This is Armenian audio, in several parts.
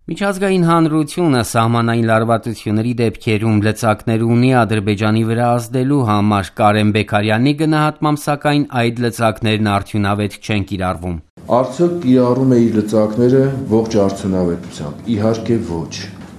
Միջազգային հանրությունը սահմանային լարվածությունների դեպքերում լծակներ ունի Ադրբեջանի վրա ազդելու համար, Կարեն Բեքարյանի գնահատմամբ, սակայն այդ լծակներն արդյունավետ չեն կիրառվում։ Արդյոք կիրառում է իր լծակները ողջ արդյունավետությամբ։ Իհարկե ոչ։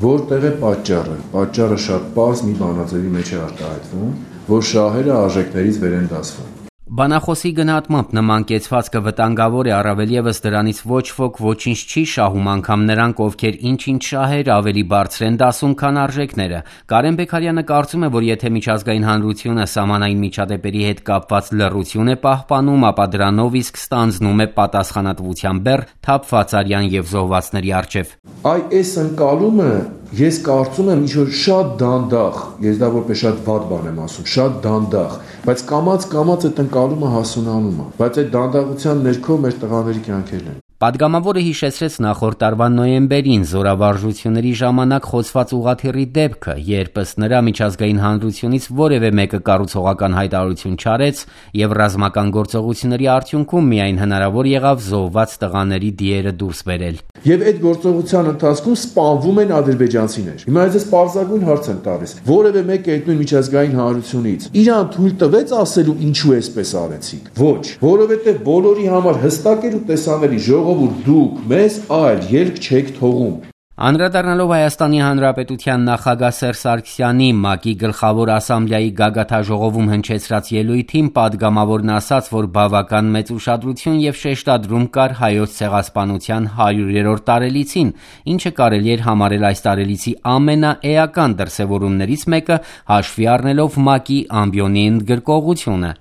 Որտեղ է պատճառը։ Պատճառը շատ պարզ մի բանաձևի մեջ է արտահայտվում, որ շահերը արժեքներից վեր են դասվում։ Բանախոսի գնահատմամբ նման կեցվածքը վտանգավոր է, առավել ևս դրանից ոչ ոք ոչինչ չի շահում, անգամ նրանք, ովքեր ինչ-ինչ շահեր ավելի բարձր են դասում, քան արժեքները։ Կարեն Բեքարյանը կարծում է, որ եթե միջազգային հանրությունը սահմանային միջադեպերի հետ կապված լռություն է պահպանում, ապա դրանով իսկ ստանձնում է պատասխանատվության բեռ թափված արյան եւ զոհվածների առջեւ։ Այս ընկալումը ես կարծում եմ ինչ-որ շատ դանդաղ, ես դա որպես շատ վատ բան եմ ասում, շատ դանդաղ, բայց կամաց այդ ընկալումը հասունանում է, բայց այդ դանդաղության ներքո մեր տղաների կյանքերն են։ Պատգամավորը հիշեցրեց նախորդ տարվա նոյեմբերին զորավարժությունների ժամանակ խոցված ուղղաթիռի դեպքը, երբ ըստ նրա միջազգային հանրությունից որևէ մեկը կառուցողական հայտարարություն չարեց եւ ռազմական գործողությունների արդյունքում միայն հնարավոր եղավ զոհված տղաների դիերը դուրս բերել։ Եվ այդ գործողության ընթացքում սպանվում են ադրբեջանցիներ։ Հիմա ես պարզագույն հարց եմ տալիս. որևէ մեկը այդ նույն միջազգային հանրությունից իրան թույլ տվեց ասելու ինչու էսպես արեցիք։ Ոչ, որովհետեւ բոլորի համար հստակ էր ու տեսանելի ժողովուրդ դուք մեզ այլ ելք չեք թողում։ Անդրադառնալով Հայաստանի Հանրապետության նախագահ Սերժ Սարգսյանի ՄԱԿ-ի գլխավոր ասամբլեայի գագաթաժողովում հնչեցրած ելույթին, պատգամավորն ասաց, որ բավական մեծ ուշադրություն եւ շեշտադրում կար Հայոց ցեղասպանության 100-րդ տարելիցին, ինչը կարելի էր համարել այս տարելիցի ամենաէական դրսևորումներից մեկը, հաշվի առնելով ՄԱԿ-ի ամբիոնի ընդգրկողությունը։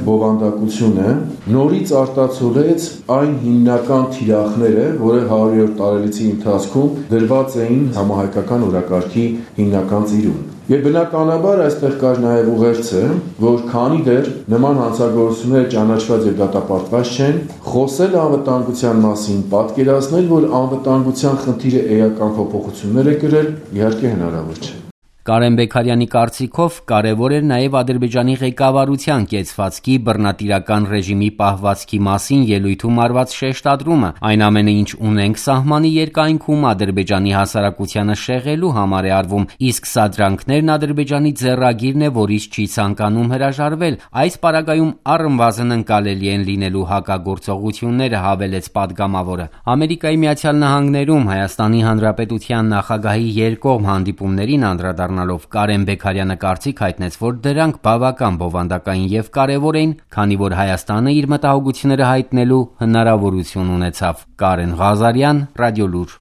Բովանդակությունը նորից արտացոլեց այն հիմնական թիրախները, որը 100-րդ տարելիցի ընթացքում դրված էին համահայկական օրակարգի հիմնական ծիրուն։ Եվ բնականաբար այստեղ կար նաև ուղերձը, որ քանի դեռ նման հանցագործությունները ճանաչված եւ դատապարտված չեն, խոսել անվտանգության մասին, պատկերացնել, որ անվտանգության խնդիրը էական փոփոխություններ է կրել, իհարկե հնարավոր չէ։ Կարեն Բեքարյանի կարծիքով կարևոր էր նաև Ադրբեջանի ղեկավարության կեցվածքի բռնատիրական ռեժիմի պահվածքի մասին ելույթում արված շեշտադրումը, այն ամենը, ինչ ունենք սահմանի երկայնքում, Ադրբեջանի հասարակությանը շեղելու համար է արվում, իսկ սադրանքներն Ադրբեջանի ձեռագիրն է, որից չի ցանկանում հրաժարվել։ Այս պարագայում առնվազն ընկալելի են լինելու հակագործողությունները, հավելեց պատգամավորը։ Ամերիկայի Միացյալ Նահանգներում Հայաստանի Հանրապետության նախագահի երկկողմ հանդիպումներին անդրադառնալով Կարեն Բեքարյանը կարծիք հայտնեց, որ դրանք բավական բովանդակային եւ կարեւոր էին, քանի որ Հայաստանը իր մտահոգությունները հայտնելու հնարավորություն ունեցավ։ Կարեն Ղազարյան, Ռադիոլուր։